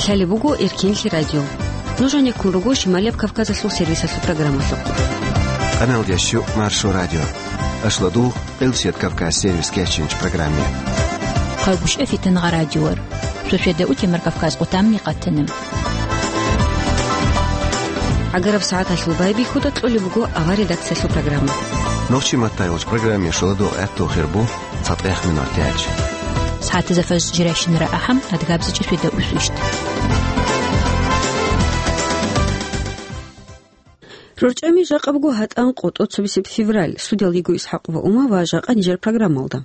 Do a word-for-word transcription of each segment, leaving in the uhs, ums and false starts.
Лъалеб буго Эркенлъи радио. Нуж гьанеккун руго Шималияб Кавказалъул сервисалъул программалъухъ. Къаналдящу Маршо радио. Ашладул Къилсият Кавказ сервис кечинч программе. Хъагушев Фитангъа радиор. Суседа утемар Кавказ къутамни къатанем. ГӀагараб сагӀаталъул байбихьуда кьолеб буго авар редакциялъул программа. Нохчи маттайолч программе шоладо гӀатту хирбу цатӀех минутач. СагӀатазда фаж жирайщинара ахӀам адгабзичӀеб светда усвищт. РорчӀами жакъа буго гьатӀан къо тӀоцебесеб февраль. Студиялда йиго ИсхӀакъ ва Ума ва жакъа нижер программалда.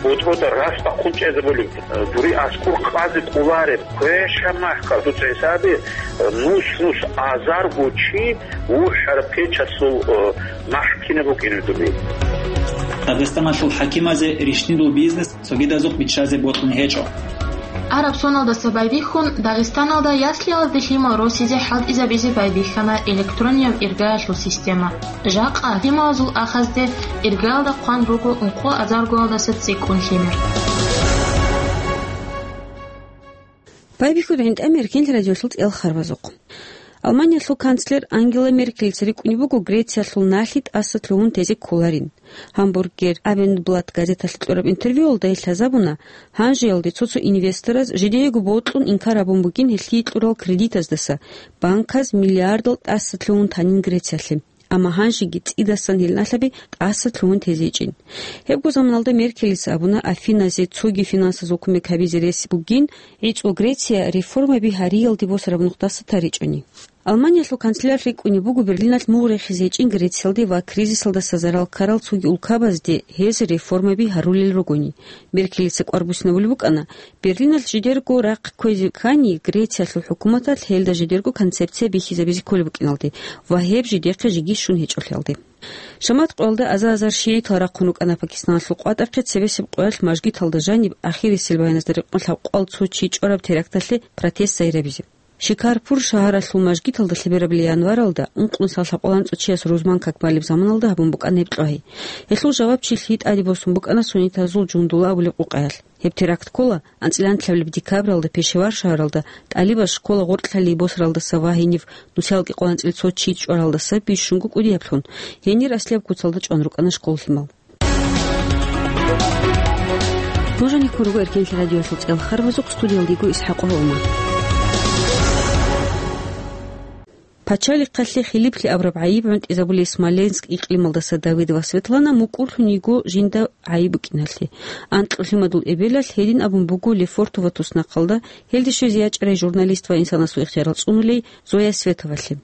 БутӀруда рас бахъун чӀезабулеб, дури аскӀур къазе кӀолареб, квеша махкал дуца гьесаби, нус-нус азарго чи вухӀараб печалъул, э, махкина букӀине дуби. Дагъистаналъул хӀакимазе рищнидул бизнес цогидазухъ биччазе бокьун гьечӀо. Араб соналдаса байбихьун, Дагъистаналда яслиялазде лъимал росизе хӀалтӀизабизе байбихьана электронияб иргаялъул система. Жакъа лъималазул ахазде иргаялда хъван руго ункъо азаргоялдаса цӀикӀкӀун лъимер. Байбихьуда гӀинтӀаме Эркенлъи радиолъул цӀел харбазухъ. Алманиялъул канцлер Ангела Меркелица рикӀкӀунеб буго Грециялъул налъи тӀаса лъугьун тезе кколарин. Гьамбургер Абендблат газеталъе кьураб интервьюялда гьелъ лъазабуна, гьанжеялде цо-цо инвестораз жидеего бокьун инкар гьабун бугин гьелъие кьурал кредитаздаса, банказ миллиардал тӀаса лъугьун танин Грециялъе. Амма гьанжеги цӀидасан гьел налъаби тӀаса лъугьун тезе гьечӀин. Гьебго заманалда Меркелица абуна, Афиназе цоги финансазул кумек гьабизе рес бугин, гӀицӀго Греция реформаби гьариялде босараб нухдаса таричӀони. Алманиялъул канцлер рикӀкӀунеб буго Берлиналъ мугъ рехизе гьечӀин Грециялде ва кризисалдаса зарал ккарал цоги улкабазде гьез реформаби гьарулел ругони. Меркелица кӀвар буссинабулеб букӀана, Берлиналъ жидерго рахъ кквезе ккани, Грециялъул хӀукуматалъ гьелда жидерго концепция бихьизабизе кколеб букӀиналде ва гьеб жидехъе жеги щун гьечӀолъиялде. Шамат къоялда аза-азар шигӀитал рахъун рукӀана Пакистаналъул къватӀахъе цебесеб къоялъ мажгиталда жаниб ахирисел баяназда рекъон лъабкъоялда цо чи чӀвараб теракталъе протест сайрабизе. Шикарпур шагьаралъул мажгиталда лъеберабли январалда ункънусал лъабкъоялда анцӀго чияс рузман как балеб заманалда гьабун букӀана гьеб кьвагьи. Гьелъул жавабчилъи тӀаде босун букӀана суннитазул Жундула абулеб къукъаялъ. Гьеб теракт ккола анцӀила анлъабилеб декабралда Пешевар шагьаралда тӀалибаз школа гъоркьлъалей босаралдаса ва гьенив нусиялги къванцӀил цо чи чӀваралдаса бищунго кӀудияблъун, гьенир аслияб куцалда чӀван рукӀана школ лъимал. Нуж гьанеккун руго Эркенлъи радиолъул цӀел харбазухъ, студиялда йиго ИсхӀакъ ва Ума. Пачалихъалъе Хилиплъи абураб гӀайиб гӀунтӀизабулей Смоленск икълималдаса Давидова Светлана мукӀурлъун йиго жинда гӀайиб букӀиналъе. Анкьго лъимадул эбелалъ гьедин абун буго Лефортово туснахъалда, гьелде щвезе ячӀарай журналист ва инсанасул ихтиярал цӀунулей Зоя Световалъе.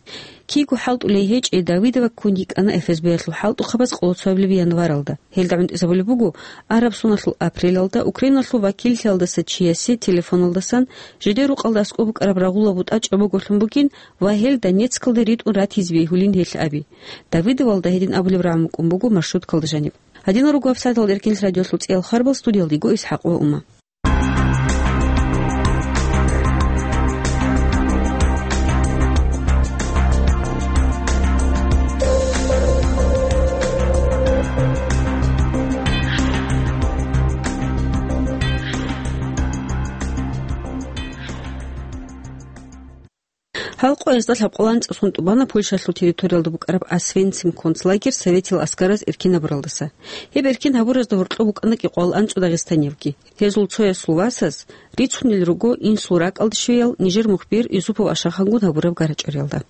Киго хӀалтӀулей гьечӀей Давидова ккун йикӀана ФСБ-ялъул хӀалтӀухъабаз къоло цоабилеб январалда. Гьелда гӀунтӀизабулеб буго, араб соналъул апрелалда Украиналъул вакиллъиялдаса чиясе телефоналдасан жидер рукъалда аскӀоб букӀараб рагъула бутӀа чӀобоголъун бугин ва гьел Донецкалде ритӀун ратизе бегьулин гьелъ аби. Давидовалда гьедин абулеб рагӀун букӀун буго маршруткалда жаниб. Гьадинал руго гьабсагӀаталда Эркенлъи радиолъул цӀел харбал, студиялда йиго ИсхӀакъ ва Ума. Гьал къоязда лъабкъоялда анцӀго сон тӀубана Польшалъул территориялда букӀараб Освенцим концлагерь советил аскараз эркин гьабуралдаса. Гьеб эркин гьабуразда гьоркьоб букӀана кӀикъоялда анцӀго дагъистаниябги. Гьезул цоясул васаз рицунел руго инсул ракӀалде щвеял нижер мухбир Юсупов Ашахангун гьабураб гарачӀориялда.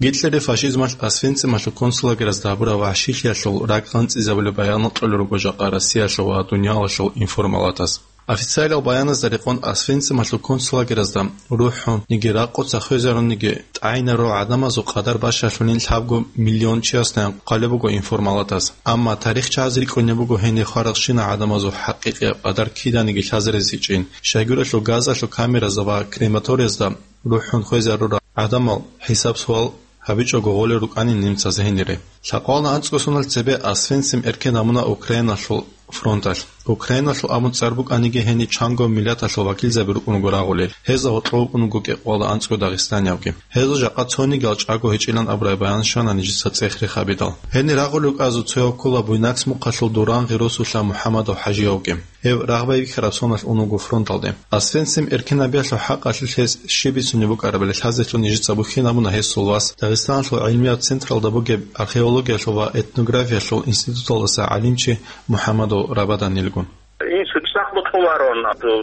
Гитлерил фашизмалъ Освенцималъул концлагеразда гьабураб вагьшилъиялъул ракӀ анцӀизабулеб баянал кьолел руго жакъа Россиялъул ва дуниялалъул информалатаз. Официалиял баяназда рекъон Освенцималъул концлагеразда рухӀун, ниги ракъуца хвезарун, ниги тӀагӀинарурал гӀадамазул къадар бащалъунин лъабго миллион чиясдайин хъвалеб буго информалатаз. Амма тарихчияз рикӀкӀунеб буго гьенир хварал щинал гӀадамазул хӀакъикъияб къадар киданиги лъазаризичӀин. Щайгурелъул газалъул камеразда ва крематориязда рухӀун хвезарурал гӀадамал хӀисаб-суал гьабичӀого гъолел рукӀанин немцаз гьенире. Лъабкъоялда анцӀго соналъ цебе Освенцим эркен гьабуна Украиналъул фронталъ. Украиналъул абун цӀар букӀаниги, гьениб чанго миллаталъул вакилзаби рукӀун руго рагъулел. Гьезда гьоркьов вукӀун вуго кӀикъоялда анцӀго дагъистаниявги. Гьезул жакъа цонигиял чӀаго гьечӀилан абураб баян щвана нижеца цӀех-рех гьабидал. Гьенир рагъулев вукӀазе цояв ккола буйнакс мухъалъул Дуранги росулъа МухӀамадов ХӀажиявги. Гьев рагъ байбихьараб соналъ ун вуго фронталде. Освенцим эркен гьабиялъул хӀакъалъулъ гьес щиб бицунеб букӀарабали лъазелъун нижеца бухьинабуна гьесул вас, Дагъистаналъул гӀилмияб централда бугеб археологиялъул ва этнографиялъул институталдаса гӀалимчи МухӀамадов Рабаданилгун. Инсу цӀакъ бокьуларо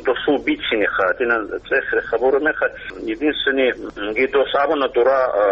досул бицине ха, динан цӀех-рех гьабураб мехалъ, единственный, м, ги дос абуна дура, а,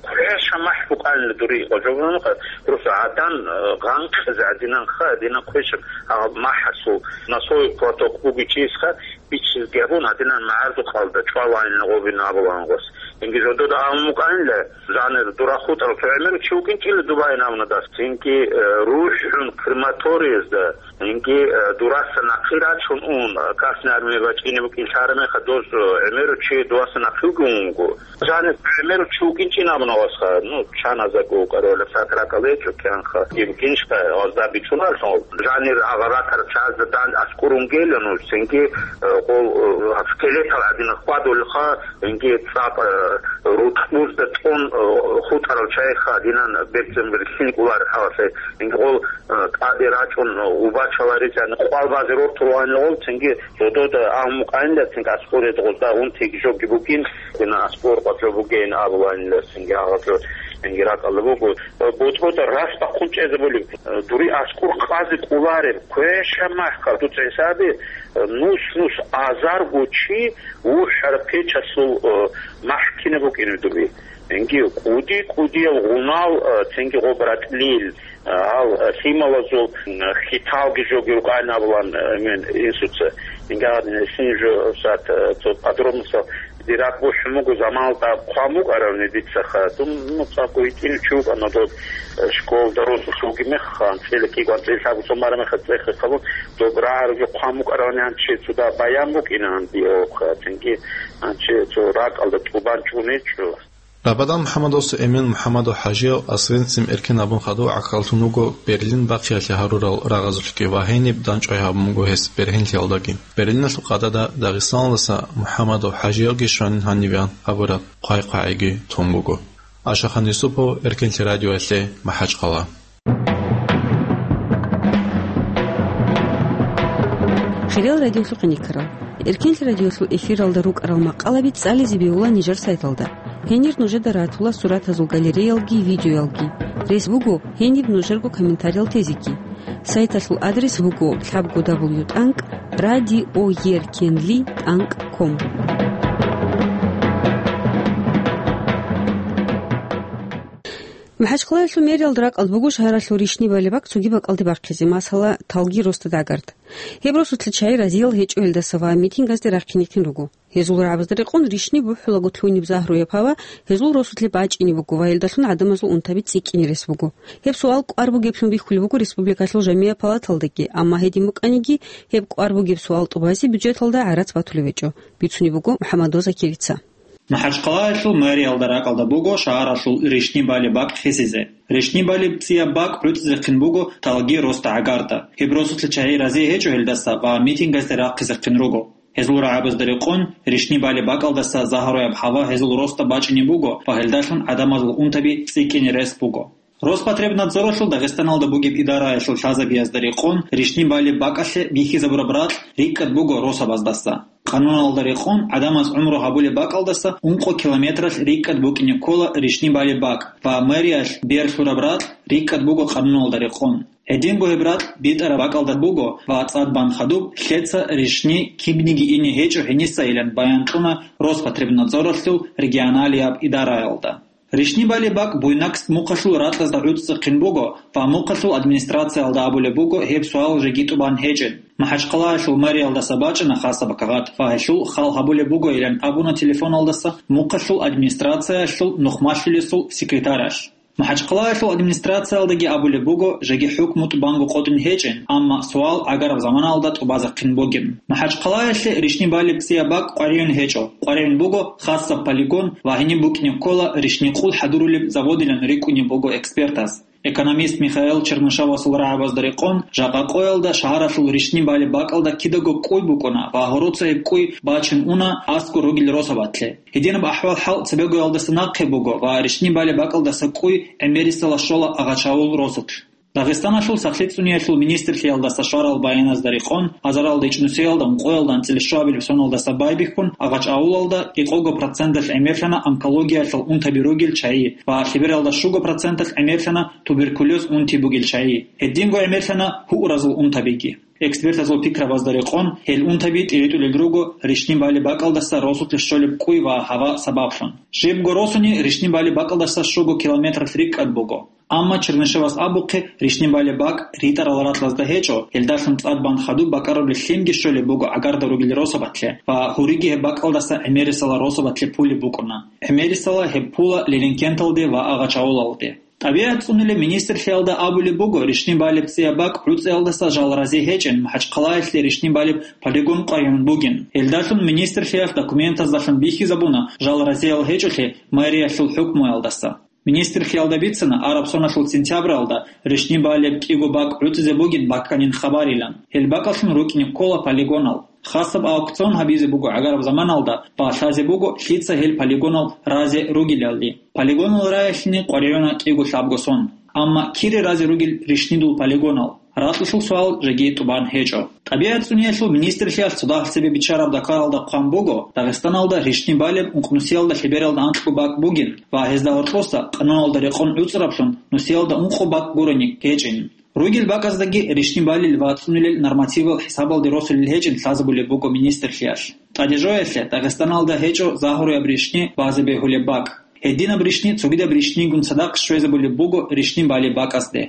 квеша махӀ букӀанила дури къожобунха, просто гӀадан, а, гъанкъизе гӀадинанха, гӀадинан квешаб, а, махӀасул носовой платок бугичӀесха, бичизги гьабун, гьадинан магӀарзухъалда чӀвалайилан гъобин абулан гъос. Инги жодода абун букӀанила, жанир дура хутӀарал цо гӀемеру чи вукӀинчӀила дубайин абуна дас. Цинги, э, рухӀун крематориязда, инги, э, дураса нахъи рачун ун, э, Красная Армия бачӀине букӀин лъарамеха доз, э, гӀемеру чи дураса нахъи вугун вуго. Жанир гӀемеру чи вукӀинчӀин абуна гъосха, ну, чаназаго вукӀарала сакракал гьечӀо кянха. Гьеб киншха гъозда бичуналъун, жанир агъаратар чазда дан аскӀурун гела нуж, цинги, э, къол, э, скелетал гӀадин хьвадулха, инги цӀакъ, э, рутӀбузда тӀун, э, хутӀарал чайха динан берцин бирхин кӀулар хӀалалъе, инги къол, э, тӀаде рачӀун, э, убачаларизан къвал базе рортулгьанигъул, цинги зодода агьмукъайнда, цинги аскӀоред гъозда унтиги жоги букӀин, динан аскӀор къватӀлъо бугейин абуланила, цинги агъазо, инги ракӀалда буго. Э, ботӀрода рас бахъун чӀезабулеб, э, дури аскӀор къазе кӀулареб, квеша махъа дуца гьесаби, э, нус-нус азарго чи вухӀараб печалъул, э, махкина букӀине дуби. Инги кӀуди-кӀудиял гъунал, э, цинги гъоб ратӀлил, э, гьал, э, лъималазул, э, хиталги жоги рукӀайин абулан, э, мен инсуца. Инги гьадин, син жо сат, э, цо подробностал дирак бухӀун буго, заманалда хъван букӀаравни дица ха. Дун, ну, цӀакъ гьитӀинав чи вукӀана доб, э, школда росулъ вугеб мехха, анцӀила кӀиго, анцӀила лъабго сон бараб мехха цӀех-рех гьабун, доб рагӀараб жо хъван букӀаравни гьанчи цо дагь баян букӀина гьанбиялъухъа, цинги гьанчи цо ракӀалда тӀубан чӀун гьечӀо. Рабадан МухӀамадовса Эмен МухӀамадов ХӀажияв Освенцим эркен гьабун хадув гӀахьаллъун вуго Берлин бахъиялъе гьарурал рагъазулъги ва гьениб дандчӀвай гьабун буго гьес бергьенлъиялдаги. Берлиналъул къадада Дагъистаналдаса МухӀамадов ХӀажиявги щванин гьанибеян абураб хъвай-хъвагӀиги тун буго. Ашахан Юсупов, Эркенлъи радиоялъе, МахӀачхъала. Хириял радиолъухъе никарал. Эркенлъи радиолъул эфиралда рукӀарал макъалаби цӀализе бегьула нижер сайталда. Гьенир нужеда ратула суратазул галереялги видеоялги. Рес буго гьениб нужерго комментариял тезеги. Сайталъул адрес буго лъабго дабл ю тӀанкӀ радиоеркенли тӀанкӀ ком. МахӀачхъалаялъул мэриялда ракӀалда буго шагьаралъул ришни балебак цоги бакӀалде бахъизе, масала, Талги росда ГӀагарт. Гьеб росулъе чагӀи разиял гьечӀо гьелдаса ва митингазде рахъинихъин руго. Гьезул рагӀабазда рекъон ришни бухӀулаго лъугьинеб загьруяб гьава гьезул росулъе бачӀине буго ва гьелдалъун гӀадамазул унтаби цӀикӀкӀине рес буго. Гьеб суал кӀвар бугеблъун бихьулеб буго республикалъул жамигӀат палаталдаги, амма гьедин букӀаниги, гьеб кӀвар бугеб суал тӀубазе бюджеталда гӀарац батулеб гьечӀо, бицунеб буго МухӀаммад Закирица. МахӀачхъалаялъул мэриялда ракӀалда буго шагьаралъул ришни балеб бакӀ хисизе. Ришни балеб цӀияб бакӀ гӀуцӀизехъин буго Талги росда ГӀагарда. Гьеб росулъе чагӀи разие гьечӀо гьелдаса ва митингазде рахъизехъин руго. Гьезул рагӀабазда рекъон, ришни балеб бакӀалдаса загьруяб гьава гьезул росда бачӀине буго ва гьелдалъун гӀадамазул унтаби цӀикӀкӀине рес буго. Роспотребнадзоралъул Дагъистаналда бугеб идараялъул лъазабиязда рекъон, ришни балеб бакӀалъе бихьизабураб ракь рикӀкӀад буго росабаздаса. Къануналда рекъон, гӀадамаз гӀумру гьабулеб бакӀалдаса ункъо километралъ рикӀкӀад букӀине ккола ришни балеб бакӀ ва мэриялъ берлъураб ракь рикӀкӀад буго къануналда рекъон. Гьединго гьеб ракь битӀараб бакӀалда буго ва цӀад бан хадуб лъеца ришни кибниги ине гьечӀо гьениса илан баян кьуна Роспотребнадзоралъул регионалияб идараялда. Ришни балеб бакӀ Буйнакск мухъалъул ракьазда гӀуцӀцӀехъин буго ва мухъалъул администрациялда абулеб буго гьеб суал жеги тӀубан гьечӀин. МахӀачхъалаялъул мэриялдаса бачӀана хасаб кагъат ва гьелъул хал гьабулеб бугойилан абуна телефоналдаса мухъалъул администрациялъул нухмалъулесул секретаралъ. МахӀачхъалаялъул администрациялдаги абулеб буго жеги хӀукму тӀубанго къотӀин гьечӀин, амма суал гӀагараб заманалда тӀубазехъин бугин. МахӀачхъалаялъе ришни балеб цӀияб бакӀ къваригӀун гьечӀо, къваригӀун буго хасаб полигон ва гьениб букӀине ккола ришни къул хӀадурулеб заводилан рикӀкӀунеб буго экспертаз. Экономист Михаил Чернышевасул рагӀабазда рекъон, жакъа къоялда шагьаралъул рищтӀин балеб бакӀалда кидаго кӀуй букӀуна ва гьороца гьеб кӀуй бачун уна аскӀор ругел росабатлъи. Гьединаб ахӀвал-хӀал цебегоялдаса нахъе буго ва рищтӀин балеб бакӀалдаса кӀуй гӀемерисела щола Агъачаул росулъ. Дагъистаналъул сахлъи цӀуниялъул министрлъиялдаса щварал баяназда рекъон, азаралда ичӀнусиялда ункъоялда анцӀила щуабилеб соналдаса байбихьун Агъачаулалда кӀикъого проценталъ гӀемерлъана онкологиялъул унтаби ругел чагӀи ва лъебералда щуго проценталъ гӀемерлъана туберкулез унти бугел чагӀи. Гьединго гӀемерлъана гьуразул унтабиги. Экспертазул пикрабазда рекъон, гьел унтаби тӀиритӀулел руго рищтӀин балеб бакӀалдаса росулъе щолеб кӀуй ва гьава сабаблъун. Жибго росуни рищтӀин балеб бакӀалдаса щуго километралъ рикӀкӀад буго. Амма Чернышевас абухъе, рищтӀин балеб бакӀ ритӀарал ракьазда гьечӀо, гьелдалъун цӀад бан хадуб бакӀарулел лъимги щолеб буго гӀагарда ругел росабатлъи ва гьуриги гьеб бакӀалдаса гӀемерисела росабатлъи пулеб букӀуна. ГӀемерисела гьеб пула Лилинкенталде ва Агъачаулалде. ТӀабигӀат цӀунулеб министрлъиялда абулеб буго, рищтӀин балеб цӀияб бакӀ гӀуцӀиялдаса жал рази гьечӀин, МахӀачхъалаялъе рищтӀин балеб полигон къваригӀун бугин. Гьелдалъун министрлъиялъ документаздалъун бихьизабуна жал разиял гьечӀолъи мэриялъул хӀукмуялдаса. Министрлъиялда бицана араб соналъул сентябралда рищтӀин балеб кӀиго бакӀ гӀуцӀизе бугин баканин хабарилан. Гьел бакӀалъун рукӀине ккола полигонал. Хасаб аукцион гьабизе буго гӀагараб заманалда, балъазе буго лъица гьел полигонал разе ругелалли. Полигонал раялъе къваригӀуна кӀиго лъабго сон. Амма кире разе ругел рищтӀидул полигонал? Ракьалъул суал жеги тӀубан гьечӀо. ТӀабигӀат цӀуниялъул министрлъиялъ цо дагьаб цебе биччараб даккаралда хъван буго, Дагъистаналда рищтӀин балеб ункънусиялда лъебералда анкьго бакӀ бугин ва гьезда гьоркьоса, къануналда рекъон гӀуцӀараблъун, нусиялда ункъо бакӀ гурони гьечӀин. Ругел бакӀаздаги рищтӀин балел ва цӀунулел нормативал хӀисабалде росулел гьечӀин лъазабулеб буго министрлъиялъ. ТӀаде жоялъе, Дагъистаналда гьечӀо загьруяб рищтӀи базе бегьулеб бакӀ. Гьединаб рищтӀи цогидаб рищтӀигун цадахъ щвезабулеб буго рищтӀин балеб бакӀазде.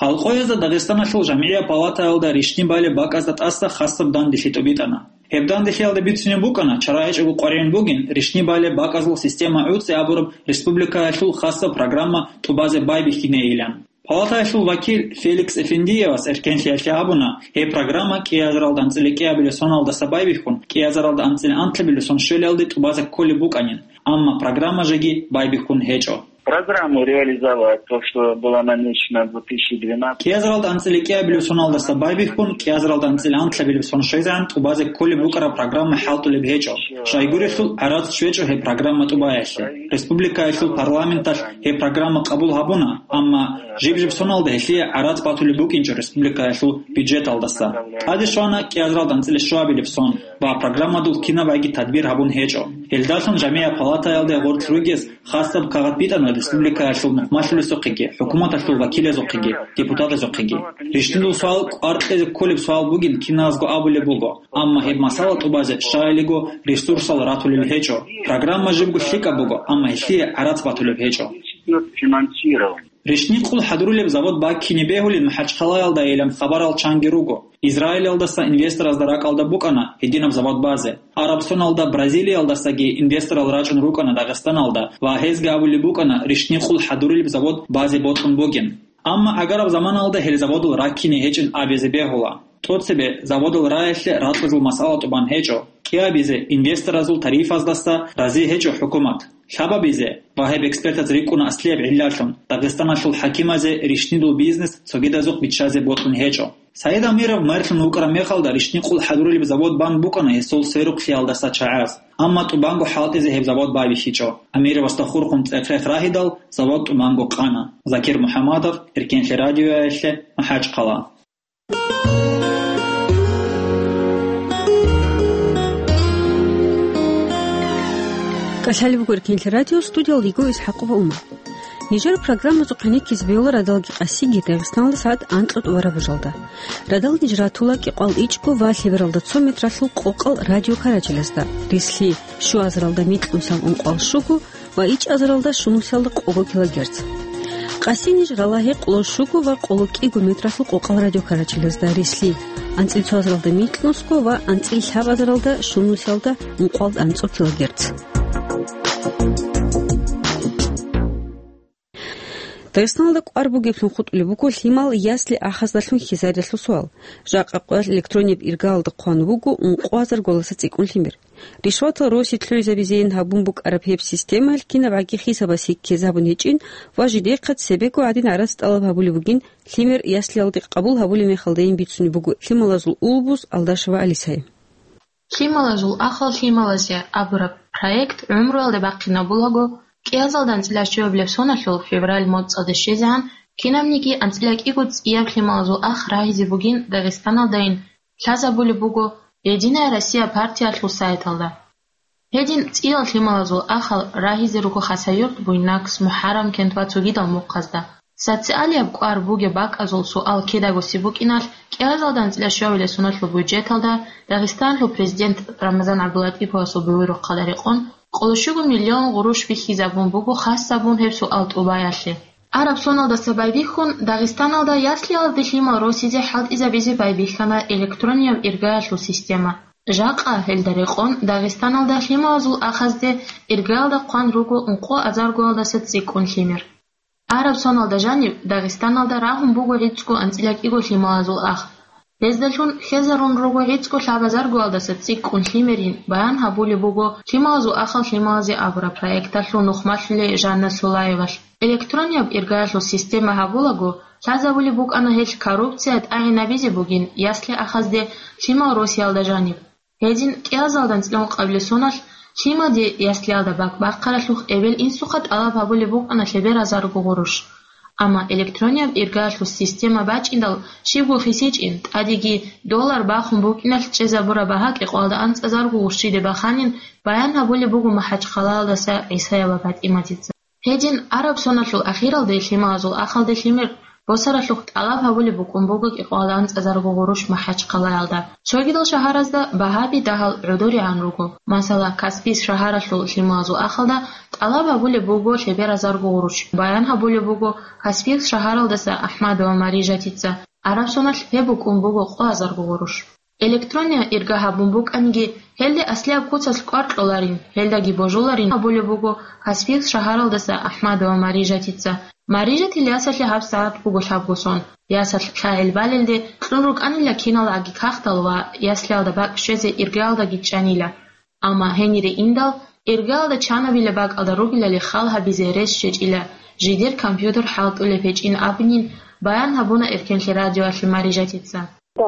Гьал къоязда Дагъистаналъул жамгӀияб палатаялда рищтӀин балеб бакӀазда тӀаса хасаб данделъи тӀубитӀана. Гьеб данделъиялда бицунеб букӀана, чара гьечӀого къваригӀун бугин рищтӀин балеб бакӀазул система гӀуцӀи абураб республикаялъул хасаб программа тӀубазе байбихьинейилан. Палатаялъул вакил Феликс Эфендиевас эркенлъиялъе абуна, гьеб программа кӀиазаралда анцӀила кӀиабилеб соналдаса байбихьун, кӀиазаралда анцӀила анлъабилеб сон щвелалде тӀубазе кколеб букӀанин, амма программа жеги байбихьун гьечӀо. Программу реализовать, то, что было намечено в две тысячи двенадцатом. КӀиазаралда анцӀила кӀиабилеб соналдаса байбихьун, кӀиазаралда анцӀила анлъабилеб сон щвезегӀан тӀубазе кколеб букӀараб программа хӀалтӀулеб гьечӀо. Щайгурелъул гӀарац щвечӀо гьеб программа тӀубаялъе. Республикаялъул парламенталъ гьеб программа къабул гьабуна, амма жиб-жиб соналда гьелъие гӀарац батулеб букӀинчӀо республикаялъул бюджеталдаса. ТӀаде щвана кӀиазаралда анцӀила щуабилеб сон ва программадул кинабайги тадбир гьабун гьечӀо. Гьелдалъун жамгӀияб палатаялде гъорлъ ругез хасаб кагъат битӀана республикаялъул нухмалъулесухъеги, хӀукуматалъул вакилазухъеги, депутатазухъеги. РищтӀидул суал кӀвар кьезе кколеб суал бугин киназго абулеб буго, амма гьеб масала тӀубазе щайилиго ресурсал ратулел гьечӀо. Программа жибго лъикӀаб буго, амма гьелъие гӀарац батулеб гьечӀо. Финансирование. РищтӀин къул хӀадурулеб завод баккине бегьулин МахӀачхъалаялдайилан хабарал чанги руго. Израилалдаса инвесторазда ракӀалда букӀана гьединаб завод базе. Араб соналда Бразилиялдасаги инвесторал рачӀун рукӀана Дагъистаналда ва гьезги абулеб букӀана рищтӀин къул хӀадурулеб завод базе бокьун бугин. Амма гӀагараб заманалда гьел заводал раккине гьечӀин абизе бегьула. ТӀоцебе заводал раялъе ракьазул масъала тӀубан гьечӀо. КӀиабизе инвесторазул тарифаздаса рази гьечӀо хӀукумат. Лъабабизе ва гьеб экспертаз рикӀкӀуна аслияб гӀиллалъун, Дагъистаналъул хӀакимазе рищтӀидул бизнес цогидазухъ биччазе бокьун гьечӀо. Саид Амиров мэрлъун вукӀараб мехалда рищтӀин къул хӀадурулеб завод бан букӀана гьесул сверухълъиялдаса чагӀаз. Амма тӀубанго хӀалтӀизе гьеб завод байбихьичӀо. Амировасда хурхун цӀех-рехъ рагьидал, завод тӀубанго къана. Закир МухӀамадов, Эркенлъи радиоялъе, МахӀачхъала. КӀалъалеб буго Эркенлъи радио, студиялда йиго ИсхӀакъова Умар. Нижер программазухъе нилъезе бегьула радалги къасиги Дагъистаналда сагӀат анкьа тӀубараб жалда. Радал ниж ратула кӀикъоялда ичӀго ва лъебералда цо метралъул къокъал радиокарачелазда, рислъи, щуазаралда микьнусиялда ункъоялда щуго ва ичӀазаралда щунусиялда къого килогерц. Къаси ниж рала гьекъолда щуго ва къоло кӀиго метралъул къокъал радиокарачелазда, рислъи, анцӀила цоазаралда микьнусго ва анцӀила лъабазаралда щунусиялда ункъоялда анцӀго килогерц. Дагъистаналда кӀвар бугеблъун хутӀулеб буго лъимал ясли ахаздалъун хьизаридалъул суал. Жакъа къоялъ электрониб иргаялда хъван вуго ункъо азар голаса цӀикӀкӀун лъимер. Ришватал росиялъ лъугӀизабизейин гьабун букӀараб гьеб системаялъ кинабгӀаги хисабас гьиккезабун гьечӀин ва жидехъа цебего гӀадин гӀарац тӀалаб гьабулеб бугин, лъимер яслиялде къабул гьабулеб мехалдайин бицунеб буго лъималазул улбуз Алдашева Алисае. Лъималазул ахал лъималазе абураб проект гӀумруялда бахъинабулаго, кӀиазалда анцӀила щуабилеб соналъул февраль моцӀалде щвезегӀан кинабниги анцӀила кӀиго цӀияб лъималазул ах рагьизе бугин Дагъистаналдайин лъазабулеб буго «Единая Россия» партиялъул сайталда. Гьедин цӀиял лъималазул ахал рагьизе руго Хасавюрт, Буйнакск, МухӀаррамкент ва цогидал мухъазда. Социалияб кӀвар бугеб бакӀазул суал кидаго гьабун букӀиналъ, кӀиазалда анцӀила щуабилеб соналъул бюджеталда Дагъистаналъул президент Рамазан ГӀабдулатӀиповасул буюрухъалда рекъон, къоло щуго миллион гъурущ бихьизабун буго хас гьабун гьеб суал тӀубаялъе. Араб соналдаса байбихьун, Дагъистаналда яслиялде лъимал росизе хӀалтӀизабизе байбихьана электронияб иргаялъул система. Жакъа гьелда рекъон Дагъистаналда лъималазул ахазде иргаялда хъван руго ункъо азаргоялдаса цӀикӀкӀун лъимер. Араб соналда жаниб Дагъистаналда рагьун буго гӀицӀго анцӀила кӀиго лъималазул ах. Гьездалъун хьезарун руго гӀицӀго лъабазаргоялдаса цӀикӀкӀун лъимерин баян гьабулеб буго лъималазул ахал лъималазе абураб проекталъул нухмалъулей Жанна Сулаевалъ. Электронияб иргаялъул система гьабулаго, лъазабулеб букӀана гьелъ коррупция тӀагӀинабизе бугин ясли ахазде лъимал росиялда жаниб. Гьедин кӀиазалда анцӀила ункъабилеб соналъ лъимаде яслиялда бакӀ бахъаралъухъ эбел-инсухъа тӀалаб гьабулеб букӀана лъеберазарго гъурущ. Амма электронияб иргаялъул система бачӀиндал щибго хисичӀин, тӀадеги доллар бахун букӀиналъ чӀезабураб багьа кӀикъоялда анцӀазарго гъурущиде баханин баян гьабулеб буго МахӀачхъалаялдаса ГӀисаева ПатӀиматица. Гьедин араб соналъул ахиралде лъималазул ахалде лъимер босаралъухъ тӀалаб гьабулеб букӀун буго кӀикъоялда анцӀазарго гъурущ МахӀачхъалаялда. Цогидал шагьаразда багьаби дагьал гӀодоригӀан руго. Масала, Каспийск шагьаралъул лъималазул ахалда тӀалаб гьабулеб буго лъеберазарго гъурущ. Баян гьабулеб буго Каспийск шагьаралдаса АхӀмадова Марижатица. Араб соналъ гьеб букӀун буго къоазарго гъурущ. Электрониял ирга гьабун букӀаниги, гьелде аслияб куцалъ кӀвар кьоларин, гьелдаги божуларин абулеб буго Каспийск шагьаралдаса АхӀмадова Марижатица. Марижатил ясалъе гьабсагӀат буго лъабго сон. Ясалъ лъагӀел балелде кьун рукӀанила киналгӀаги кагътал ва яслиялда бакӀ щвезе иргаялдаги чӀанила. Амма гьенире индал, иргаялда чанабила бакӀалда ругелали хал гьабизе рес щвечӀила, жидер компьютер хӀалтӀулеб гьечӀин абунин баян гьабуна Эркенлъи радиоялъе Марижатица. Да,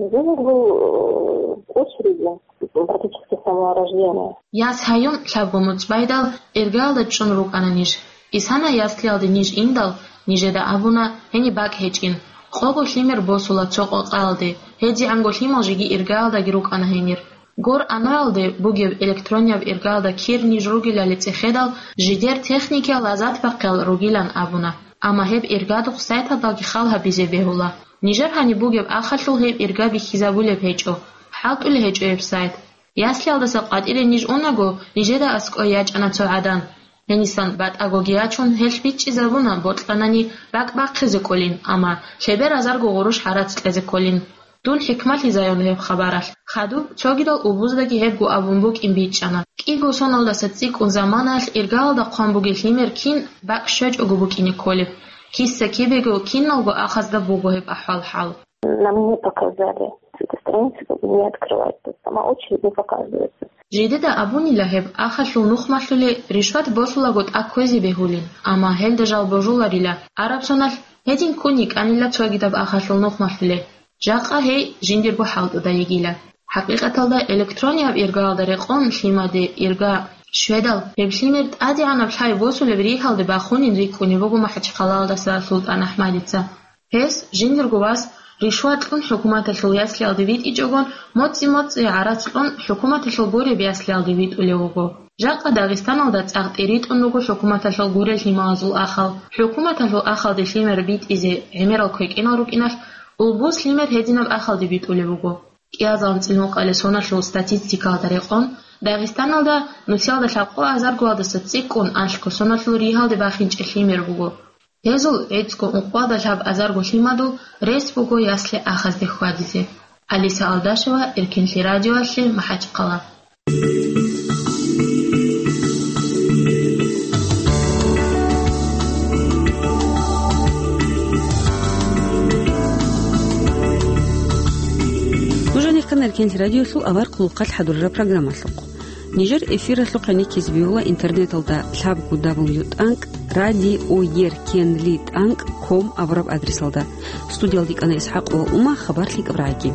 ребёнок был, э, в очереди, практически с самого рождения. Яс гьаюн лъабго моцӀ байдал, иргаялда чӀун рукӀана ниж. Исана яслиялде ниж индал, нижеда абуна, гьениб бакӀ гьечӀин. Къого лъимер босула цо къокъаялде, гьедигӀанго лъимал жеги иргаялдаги рукӀана гьенир. Гор аноялде бугеб электронияб иргаялда кир ниж ругелали цӀехедал, жидер техникиял лазат бахъел ругилан абуна. Амма гьеб иргадухъ сайталдаги хал гьабизе бегьула. Нижер гьаниб бугеб ахалъул гьеб ирга бихьизабулеб гьечӀо, хӀалтӀулеб гьечӀо гьеб сайт. Яслиялдаса къватӀире ниж унаго, нижеда аскӀой ячӀана цо гӀадан. Гьенисан батӀагоги ячун, гьелъ бичӀчӀизабуна, бокьанани бакӀ бахъизе кӀолин, амма лъеберазарго гъурущ гӀарац кьезе кӀолин. Дун хӀикмалъизайун гьеб хабаралъ. Хадуб цогидал убуздаги гьебго абун букӀин бичӀчӀана. КӀиго соналдаса цӀикӀкӀун заманаялъ иргаялда хъван бугел лъимер кин бакӀ щвечӀого букӀине кколеб. Киса-кибего киналго ахазда буго гьеб ахӀвал-хӀал. Нам не показали. С этой страницы как бы не открывается. Сама очередь не показывается. Жидеда абунила гьеб ахалъул нухмалъуле ришват босулаго тӀа кквезе бегьулин, амма гьелда жал божуларила. Араб соналъ гьедин ккун йикӀанила цогидаб ахалъул нухмалъуле. Жакъа гьей жиндирго хӀалтӀуда йигила. ХӀакъикъаталда электронияб иргаялда рекъон лъимаде ирга щведал, гьеб лъимер тӀадегӀанаб лъай босулеб ригьалде бахунин рикӀкӀунеб буго МахӀачхъалаялдаса СултӀанахӀмадица. Гьес жиндирго вас ришват кьун хӀукуматалъул яслиялде витӀичӀогон, моцӀи-моцӀи гӀарац кьун хӀукуматалъул гуреб яслиялде витӀулев вуго. Жакъа Дагъистаналда цӀакъ тӀиритӀун руго хӀукуматалъул гурел лъималазул ахал. ХӀукуматалъул ахалде лъимер битӀизе гӀемерал квекӀенал рукӀиналъ, улбуз лъимер гьединаб ахалде битӀулеб буго. КӀиазал анцӀила ункъабилеб соналъул статистикаялда рекъон, Дагъистаналда нусиялда лъабкъо азаргоялдаса цӀикӀкӀун алъго соналъул ригьалде бахинчӀеб лъимер буго. Гьезул гӀицӀго ункъоялда лъабазарго лъимадул рес буго ясли ахазде хьвадизе. Алиса Алдашева, Эркенлъи радиоялъе, МахӀачхъала. Кенлъ радиолъул авар хъулухъалъ хӀадурараб программалъухъ. Нижер эфиралъухъ гӀенеккизе бегьула интернеталда лъабго дабл ю тӀанкӀ радиоеркенлъи тӀанкӀ ком абураб адресалда. Студиялда йикӀана ИсхӀакъова Ума, хабар лъикӀаб рагӀиги.